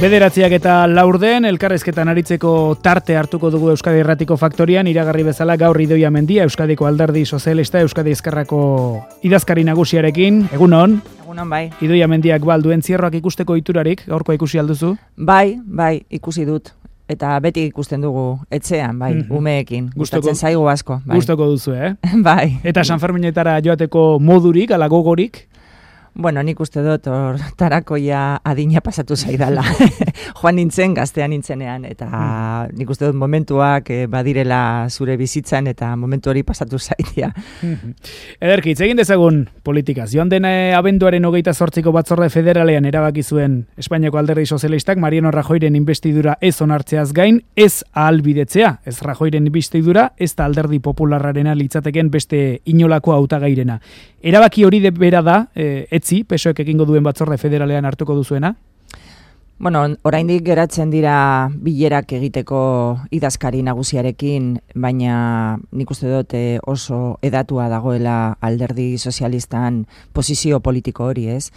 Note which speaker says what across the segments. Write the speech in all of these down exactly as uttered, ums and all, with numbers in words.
Speaker 1: Bederatziak eta laurden, elkarrezketan aritzeko tarte hartuko dugu Euskadi Irratiko Faktorian, iragarri bezala gaur Idoia Mendia, Euskadiko Alderdi Sozialista, Euskadi Ezkerrako idazkari nagusiarekin. Egunon?
Speaker 2: Egunon, bai.
Speaker 1: Idoia Mendiak balduen zierroak ikusteko iturarik, gaurkoa ikusi alduzu?
Speaker 2: Bai, bai, ikusi dut. Eta beti ikusten dugu etxean, bai, mm-hmm. umeekin. Gustatzen zaigu asko. Bai.
Speaker 1: Gustoko duzu, eh?
Speaker 2: Bai.
Speaker 1: Eta San Ferminetara joateko modurik, ala gogorik?
Speaker 2: Bueno, nik uste dut, hor, tarakoia adina pasatu zaidala. Joan nintzen, gaztean nintzenean, eta mm. nik uste dut momentuak eh, badirela zure bizitzan, eta momentu hori pasatu zaidia.
Speaker 1: Mm-hmm. Ederki, hitz egin dezagun politikaz. Joan den abenduaren hogeita zortziko batzorde federalean erabaki zuen Espainiako Alderdi Sozialistak Mariano Rajoyren inbestidura ez onartzeaz gain, ez ahalbidetzea. Ez Rajoyren inbestidura, ez da Alderdi Popularrarena litzateken beste inolako hautagairena. Erabaki hori de bera da, eh, etzi, P S O ek egingo duen batzorde federalean hartuko duzuena?
Speaker 2: Bueno, oraindik geratzen dira bilerak egiteko idazkari nagusiarekin, baina nik uste dut eh, oso edatua dagoela Alderdi Sozialistan posizio politiko hori, ez?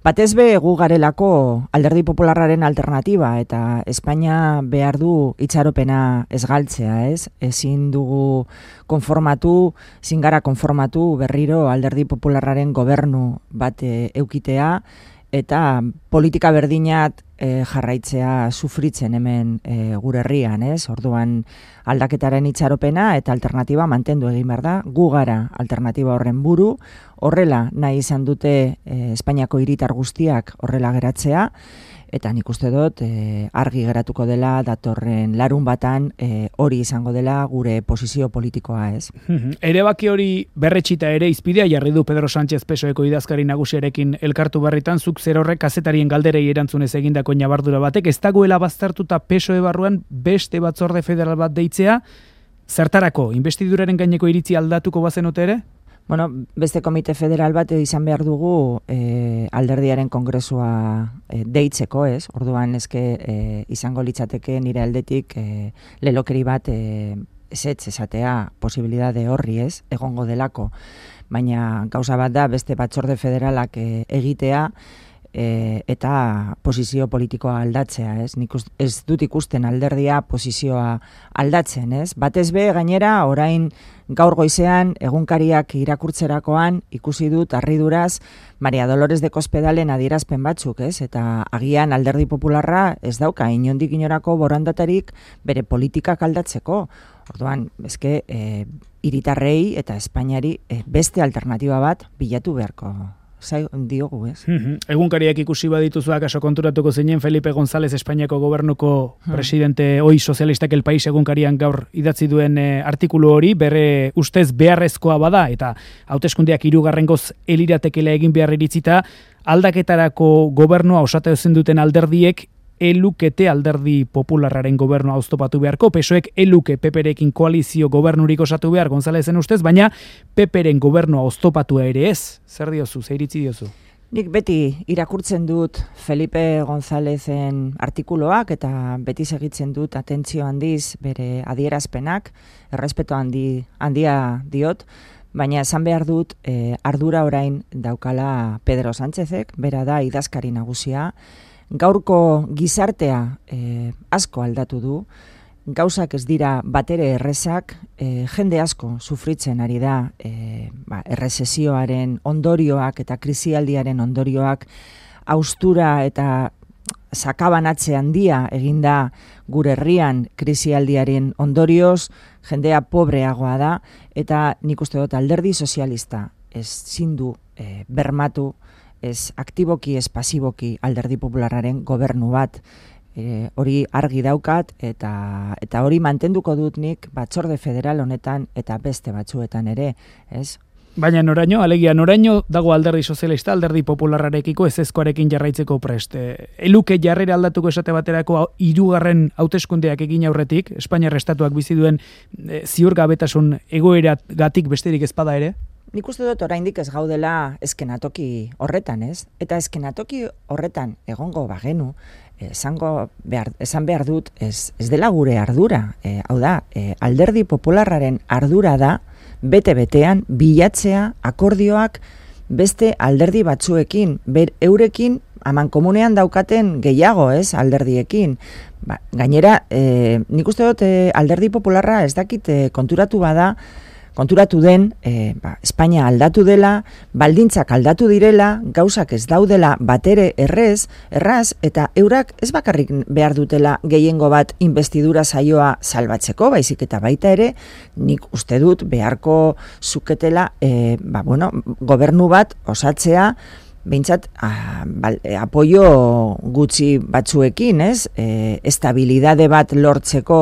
Speaker 2: Batez be gu garelako Alderdi Popularraren alternatiba, eta Espainia behar du itxaropena ez galtzea, ez? Ezin dugu konformatu, ezin gara konformatu berriro Alderdi Popularraren gobernu bat e, eukitea, eta politika berdinat e, jarraitzea sufritzen hemen e, gure herrian, ez? Orduan aldaketaren itxaropena eta alternatiba mantendu egin behar da, gu gara alternatiba horren buru, horrela nahi izan dute e, Espainiako hiritar guztiak horrela geratzea, eta nik uste dut e, argi geratuko dela datorren larun batan e, hori izango dela gure posizio politikoa, ez?
Speaker 1: Erebaki hori berretxita ere izpidea jarri du Pedro Sánchez P S O eko idazkari nagusiarekin elkartu barritan, zuk zer horrek kazetarien galderei erantzunez egindako nabardura batek, ez dagoela baztertuta P S O E barruan beste batzorde federal bat deitzea, zertarako, inbestiduraren gaineko iritzi aldatuko bazenote ere?
Speaker 2: Bueno, beste komite federal bat izan behar dugu eh, alderdiaren kongresua eh, deitzeko, ez? Orduan eske eh, izango litzateke nire aldetik eh, lelokeri bat eh, ezetz esatea posibilidade horri, ez? Egongo delako. Baina gauza bat da beste batzorde federalak eh, egitea, E, eta posizio politikoa aldatzea, ez? Nik ez dut ikusten alderdia posizioa aldatzen, ez? Batez be gainera orain gaur goizean egunkariak irakurtzerakoan ikusi dut harriduraz Maria Dolores de Cospedalen adierazpen batzuk, ez? Eta agian Alderdi Popularra ez dauka inondik inorako borondatarik bere politikak aldatzeko. Orduan, eske e, hiritarrei eta Espainiari e, beste alternatiba bat bilatu beharko zai diogu, ez?
Speaker 1: Mm-hmm. Egunkariak ikusi badituzu akaso konturatuko zinen Felipe González Espainiako gobernuko hmm. presidente oi sozialistak El País egunkarian gaur idatzi duen e, artikulu hori, bere ustez beharrezkoa bada, eta hauteskundeak hirugarrengoz eliratekela egin behar iritzita, aldaketarako gobernua osatu ezin duten alderdiek elukete Alderdi Popularraren gobernua oztopatu beharko, P S O ek eluke P P-rekin koalizio gobernurik osatu behar Gonzalezen ustez, baina P P-ren gobernua oztopatua ere ez. Zer diozu, zer iritzi diozu?
Speaker 2: Nik beti irakurtzen dut Felipe Gonzálezen artikuloak eta beti segitzen dut atentzio handiz bere adierazpenak, errespeto handi, handia diot, baina esan behar dut eh, ardura orain daukala Pedro Sánchezek, bera da idazkari nagusia, gaurko gizartea eh, asko aldatu du, gauzak ez dira batere errezak, eh, jende asko sufritzen ari da eh, ba, errezesioaren ondorioak eta krisialdiaren ondorioak, haustura eta sakabanatze handia eginda gure herrian krisialdiaren ondorioz, jendea pobreagoa da, eta nik uste dut Alderdi Sozialista ez zindu eh, bermatu, ez aktiboki, ez pasiboki Alderdi Popularraren gobernu bat, e, hori argi daukat, eta eta hori mantenduko dut nik batzorde federal honetan eta beste batzuetan ere, ez?
Speaker 1: Baina noraino, alegia noraino dago Alderdi Sozialista, Alderdi Popularrarekiko ezezkoarekin jarraitzeko prest. Eluke jarrera aldatuko esate baterako hirugarren hauteskundeak egin aurretik, Espainiar estatuak bizi duen e, ziurgabetasun egoeragatik besterik ezpada ere?
Speaker 2: Nik uste dut oraindik ez gaudela eskenatoki horretan, ez? Eta eskenatoki horretan egongo bagenu, esango behar, esan behar dut ez, ez dela gure ardura. E, hau da, e, Alderdi Popularraren ardura da, bete-betean bilatzea akordioak beste alderdi batzuekin, ber, eurekin aman komunean daukaten gehiago, ez, alderdiekin. Ba, gainera, e, nik uste dut e, alderdi popularra ez dakit e, konturatu bada, konturatu den, e, ba, Espainia aldatu dela, baldintzak aldatu direla, gauzak ez daudela batere errez, erraz, eta eurak ez bakarrik behar dutela gehiengo bat investidura saioa salbatzeko, baizik eta baita ere, nik uste dut beharko zuketela, e, ba, bueno, gobernu bat osatzea, behintzat, a, bal, e, apoio gutxi batzuekin, ez? E, estabilidade bat lortzeko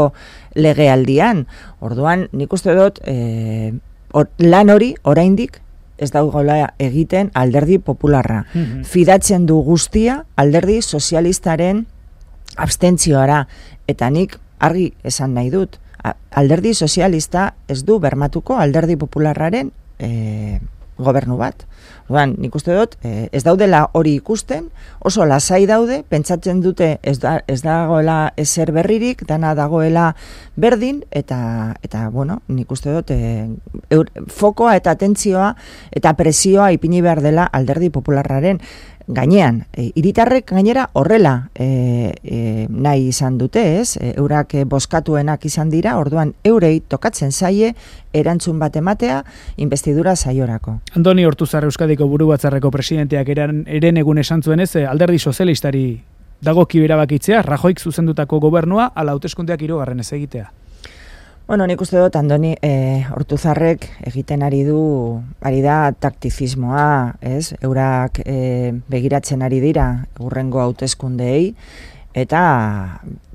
Speaker 2: legealdian. Orduan, nik uste dut, e, or, lan hori, oraindik, ez dagoela egiten alderdi popularra. Mm-hmm. Fidatzen du guztia alderdi sozialistaren abstentzioara. Eta nik argi esan nahi dut, alderdi sozialista ez du bermatuko alderdi popularraren e, gobernu bat. Orduan, nik uste dut, eh, ez daudela hori ikusten, oso lasai daude, pentsatzen dute ez, da, ez dagoela ezer berririk, dana dagoela berdin, eta, eta bueno, nik uste dut, eh, eur, fokoa eta atentzioa eta presioa ipini behar dela alderdi popularraren gainean. E, hiritarrek gainera horrela e, e, nahi izan dute, ez? E, eurak boskatuenak izan dira, orduan eurei tokatzen zaie erantzun bat ematea investidura saiorako.
Speaker 1: Andoni Ortuzar Euskadiko Burubatzarreko presidenteak eren, eren egun esan zuenez, alderdi sozialistari dagoki erabakitzea, Rajoik zuzendutako gobernua ala hauteskundeak hirugarren ez egitea.
Speaker 2: Bueno, nik uste dut, Andoni, e, Ortuzarrek egiten ari du, ari da taktizismoa, ez? Eurak e, begiratzen ari dira hurrengo hauteskundeei, eta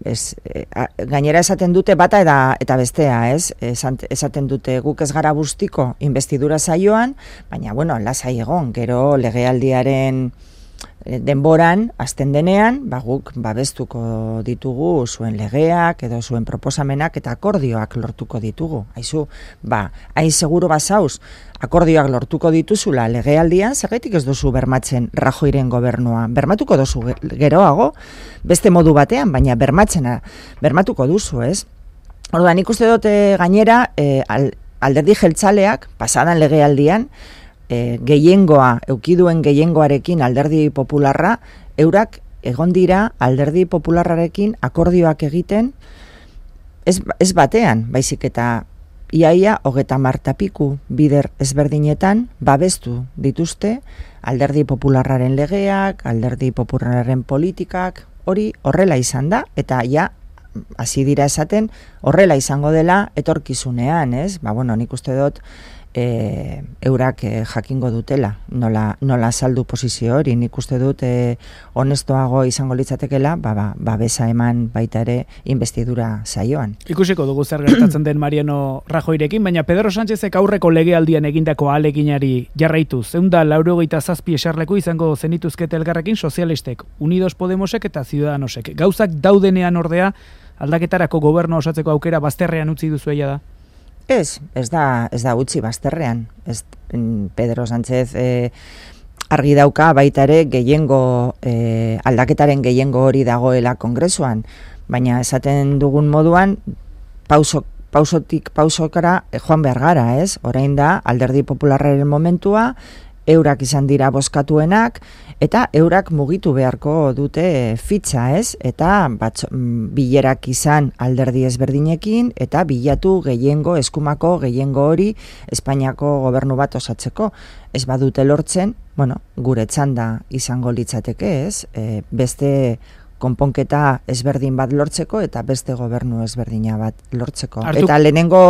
Speaker 2: ez, e, a, gainera esaten dute bata eta, eta bestea, ez? Esan, esaten dute guk ez gara bustiko investidura saioan, baina, bueno, lasai egon, gero legealdiaren denboran, azten denean, ba, guk babestuko ditugu zuen legeak edo zuen proposamenak eta akordioak lortuko ditugu. Aizu, ba, hain seguro bazauz, akordioak lortuko dituzula legealdian, zergatik ez duzu bermatzen Rajoiren gobernua. Bermatuko duzu geroago, beste modu batean, baina bermatzena, bermatuko duzu, ez? Orduan, nik uste dute gainera, e, alderdi jeltzaleak, pasadan legealdian, E, gehiengoa, eukiduen gehiengoarekin alderdi popularra, eurak egon dira alderdi popularrarekin akordioak egiten ez, ez batean, baizik eta iaia hogeta martapiku bider ezberdinetan babestu dituzte alderdi popularraren legeak, alderdi popularraren politikak, hori horrela izan da, eta ja hasi dira esaten horrela izango dela etorkizunean, ez? Ba, bueno, nik uste dut E, eurak e, jakingo dutela, nola, nola saldu posizio hori, nik uste dut e, honestoago izango litzatekela, ba, ba, ba besa eman baita ere investidura saioan.
Speaker 1: Ikusiko dugu zer gertatzen den Mariano Rajoirekin, baina Pedro Sánchezek aurreko legealdian egindako ahaleginari jarraituz, ehun laurogeita zazpi eserleku izango zenituzkete elkarrekin sozialistek, Unidos Podemosek eta Ciudadanosek. Gauzak daudenean ordea, aldaketarako gobernu osatzeko aukera bazterrean utzi duzu eia da?
Speaker 2: Ez, ez da, ez da utzi bazterrean. Ez, Pedro Sánchez e, argi dauka baita ere gehiengo, e, aldaketaren gehiengo hori dagoela kongresuan, baina esaten dugun moduan, pauso, pausotik pausokara e, joan behar gara, ez? Orain da, alderdi popularraren momentua, eurak izan dira bozkatuenak, eta eurak mugitu beharko dute fitxa, ez? Eta batzo, bilerak izan alderdi ezberdinekin, eta bilatu gehiengo, eskumako gehiengo hori Espainiako gobernu bat osatzeko. Ez badute lortzen, bueno, gure txanda izango litzateke, ez? E, beste konponketa ezberdin bat lortzeko eta beste gobernu ezberdina bat lortzeko. Artuk. Eta lehenengo,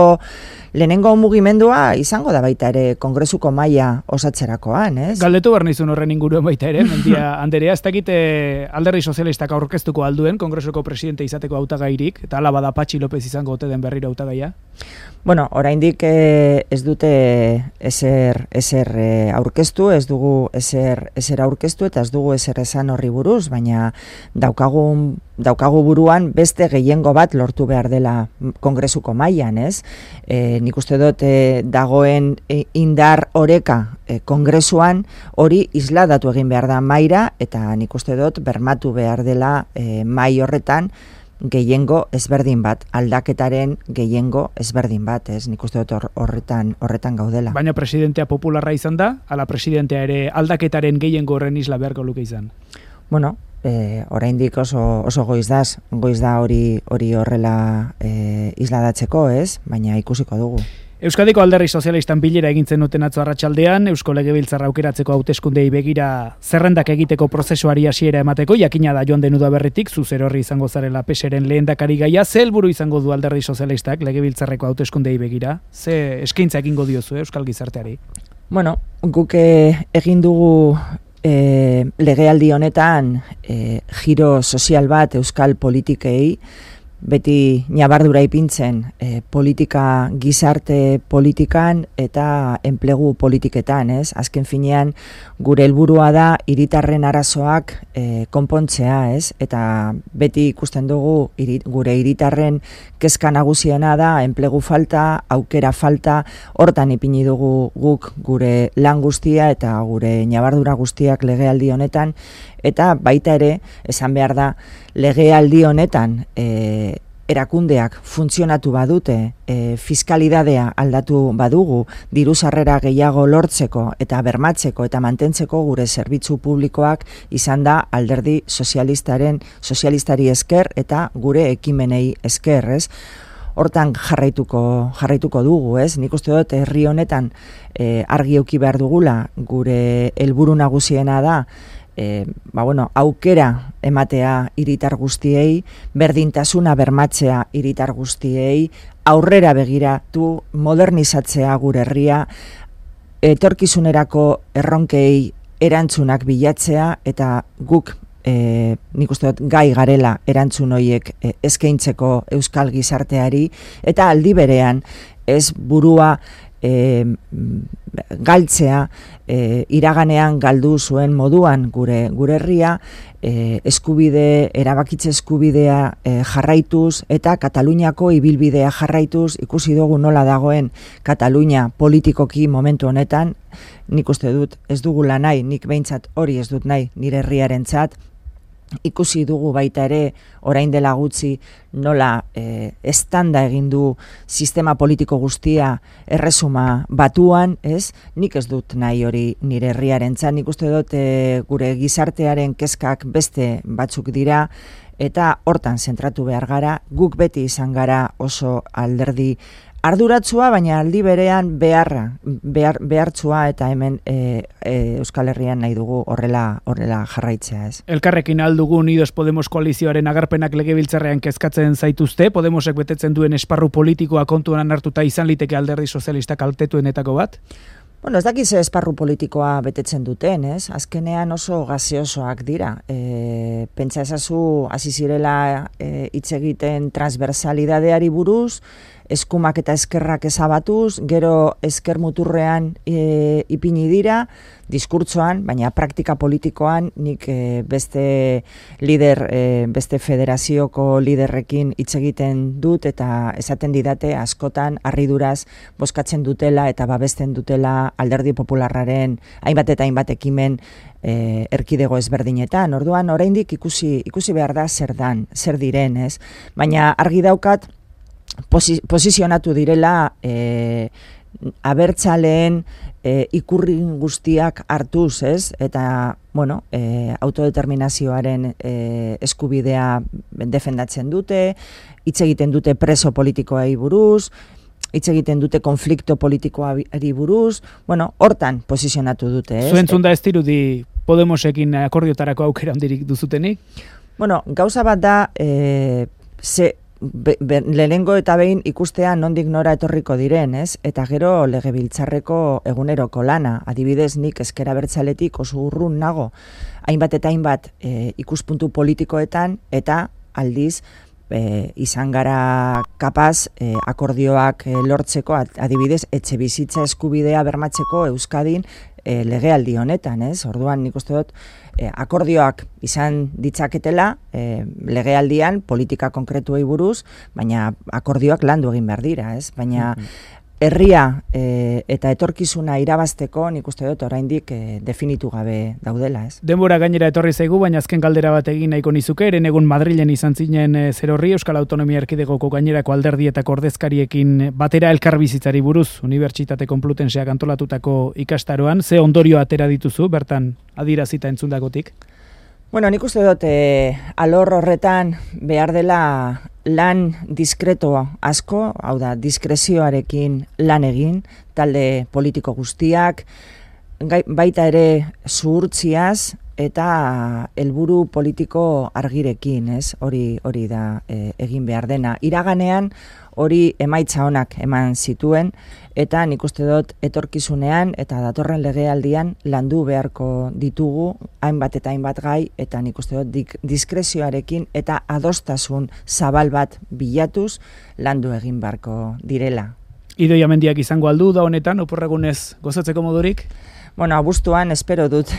Speaker 2: lehenengo mugimendua izango da baita ere kongresuko maila osatzerakoan, ez?
Speaker 1: Galdetu behar nizun horren inguruen baita ere, Mendia Anderea, ez dakite alderdi sozialistak aurkeztuko alduen kongresuko presidente izateko hautagairik, eta ala bada Patxi López izango ote den berriro hautagaia?
Speaker 2: Bueno, oraindik eh, ez dute ezer, ezer eh, aurkeztu, ez dugu ezer, ezer aurkeztu eta ez dugu ezer esan horri buruz, baina daukagu, daukagu buruan beste gehiengo bat lortu behar dela kongresuko mailan, ez? E, nik uste dut e, dagoen e, indar oreka e, kongresuan hori isladatu egin behar da maira, eta nik uste dut bermatu behar dela e, mai horretan gehiengo ezberdin bat, aldaketaren gehiengo ezberdin bat, ez? Nik uste dut horretan, horretan gaudela.
Speaker 1: Baina presidentea popularra izan da, ala presidentea ere aldaketaren gehiengo horren isla beharko luke izan?
Speaker 2: Bueno, e, oraindik oso, oso goiz daz, goiz da hori hori horrela e, isladatzeko, ez? Baina ikusiko dugu.
Speaker 1: Euskadiko Alderdi Sozialistan bilera egintzen duten atzo arratsaldean, Eusko Legebiltzarra aukeratzeko hauteskundei begira zerrendak egiteko prozesuari hasiera emateko, jakina da joan den udaberritik, zu zerorri izango zarela peseren lehendakari gaia, ze helburu izango du Alderdi Sozialistak Legebiltzarreko hauteskundei begira? Ze eskaintza egingo diozu eh, Euskal gizarteari?
Speaker 2: Bueno, guk egin dugu e, legealdi honetan e, giro sozial bat euskal politikei, beti nabardura ipintzen e, politika, gizarte politikan eta enplegu politiketan, ez? Azken finean gure helburua da hiritarren arazoak e, konpontzea, ez? Eta beti ikusten dugu irit, gure hiritarren kezka nagusiena da enplegu falta, aukera falta, hortan ipini dugu guk gure lan guztia eta gure nabardura guztiak legealdi honetan, eta baita ere, esan behar da, legealdi honetan e, erakundeak funtzionatu badute, e, fiskalidadea aldatu badugu, diru sarrera gehiago lortzeko eta bermatzeko eta mantentzeko gure zerbitzu publikoak izan da alderdi sozialistaren sozialistari esker eta gure ekimenei esker, ez? Hortan jarraituko jarraituko dugu, ez? Nik uste dut herri honetan e, argi eduki behar dugula, gure helburu nagusiena da E, ba bueno, aukera ematea hiritar guztiei, berdintasuna bermatzea hiritar guztiei, aurrera begiratu, modernizatzea gure herria, etorkizunerako erronkei erantzunak bilatzea, eta guk e, nik uste dut gai garela erantzun horiek e, eskaintzeko euskal gizarteari, eta aldi berean ez burua E, galtzea, e, iraganean galdu zuen moduan gure gure herria, e, eskubide, erabakitze eskubidea e, jarraituz eta Kataluniako ibilbidea jarraituz, ikusi dugu nola dagoen Katalunia politikoki momentu honetan. Nik uste dut ez dugula nahi, nik behintzat hori ez dut nahi nire herriarentzat. Ikusi dugu baita ere orain dela gutxi nola e, estanda egin du sistema politiko guztia erresuma batuan, ez? Nik ez dut nahi hori nire herriarentzat. Nik uste dut e, gure gizartearen kezkak beste batzuk dira eta hortan zentratu behar gara. Guk beti izan gara oso alderdi arduratsua, baina aldi berean beharra, behar, behartsua eta hemen e, e, Euskal Herrian nahi dugu horrela horrela jarraitzea, ez.
Speaker 1: Elkarrekin aldugu Unidos Podemos koalizioaren agerpenak legebiltzarrean kezkatzen zaituzte, Podemosek betetzen duen esparru politikoa kontuan hartuta izan liteke Alderdi Sozialistak kaltetuenetako bat?
Speaker 2: Bueno, ez dakiz esparru politikoa betetzen duten, ez? Azkenean oso gaziosoak dira. E, pentsa ezazu hasi zirela e, hitz egiten transversalidadeari buruz, eskumak eta eskerrak ezabatuz, gero esker muturrean e, ipini dira, diskurtsoan, baina praktika politikoan nik e, beste lider, e, beste federazioko liderrekin hitz egiten dut eta esaten didate askotan harriduraz bozkatzen dutela eta babesten dutela Alderdi Popularraren hainbat eta hainbat ekimen e, erkidego ezberdinetan. Orduan oraindik ikusi ikusi behar da zer dan, zer diren, ez? Baina argi daukat Posi, posizionatu direla e, abertzaleen e, ikurrin guztiak hartuz, ez? Eta, bueno, e, autodeterminazioaren e, eskubidea defendatzen dute, hitz egiten dute preso politikoei buruz, hitz egiten dute konflikto politikoari buruz, bueno, hortan posizionatu dute, ez?
Speaker 1: Zuentzun da ez dirudi Podemosekin akordiotarako aukera handirik duzutenik?
Speaker 2: Bueno, gauza bat da, e, ze... Be, be, lehenengo eta behin ikustea nondik nora etorriko diren, ez? Eta gero legebiltzarreko eguneroko lana, adibidez nik ezker abertzaletik oso urrun nago, hainbat eta hainbat e, ikuspuntu politikoetan, eta aldiz e, izan gara kapaz e, akordioak e, lortzeko, adibidez etxe bizitza eskubidea bermatzeko Euskadin e, legealdi honetan, ez? Orduan nik uste dut e, akordioak izan ditzaketela e, legealdian politika konkretuei buruz, baina akordioak landu egin behar dira, ez? Baina herria e, eta etorkizuna irabazteko nik uste dut oraindik e, definitu gabe daudela, ez?
Speaker 1: Denbora gainera etorri zaigu, baina azken galdera bat egin nahiko nizuke, eren egun Madrilen izan zinen e, zerorri Euskal Autonomia Erkidegoko gainerako alderdietako ordezkariekin batera elkarbizitzari buruz, Unibertsitate Konplutenseak antolatutako ikastaroan, ze ondorio atera dituzu, bertan adierazita entzundakotik?
Speaker 2: Bueno, nik uste dut, e, alor horretan behar dela lan diskreto asko, hau da, diskrezioarekin lan egin, talde politiko guztiak, gai, baita ere zuhurtziaz eta helburu politiko argirekin, ez? Hori hori da e, egin behar dena. Iraganean hori emaitza onak eman zituen, eta nik uste dut etorkizunean eta datorren legealdian landu beharko ditugu hainbat eta hainbat gai, eta nik uste dut dik, diskrezioarekin eta adostasun zabal bat bilatuz landu egin beharko direla.
Speaker 1: Idoia Mendiak izango aldu da honetan, oporregunez gozatzeko modurik?
Speaker 2: Bueno, abuztuan espero dut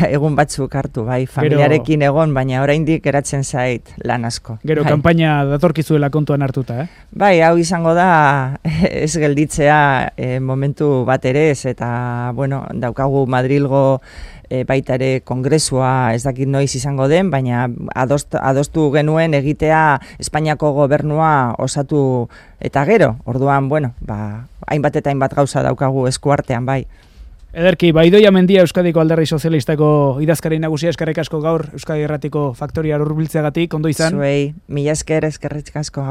Speaker 2: egun batzuk hartu, bai, familiarekin egon, baina oraindik geratzen zait lan asko.
Speaker 1: Gero,
Speaker 2: bai.
Speaker 1: Kanpaina datorkizuela kontuan hartuta, eh?
Speaker 2: Bai, hau izango da ez gelditzea e, momentu bat ere ez, eta, bueno, daukagu Madrilgo e, baita ere kongresua ez dakit noiz izango den, baina adost, adostu genuen egitea Espainiako gobernua osatu eta gero, orduan, bueno, ba, hainbat eta hainbat gauza daukagu eskuartean, bai.
Speaker 1: Ederki, ba, Idoia Mendia Euskadiko Alderdi Sozialistako idazkari nagusia, eskerrik asko gaur Euskadi Irratiko Faktoria hurbiltzeagatik, ondo izan.
Speaker 2: Zuei, mila esker, eskerrik asko.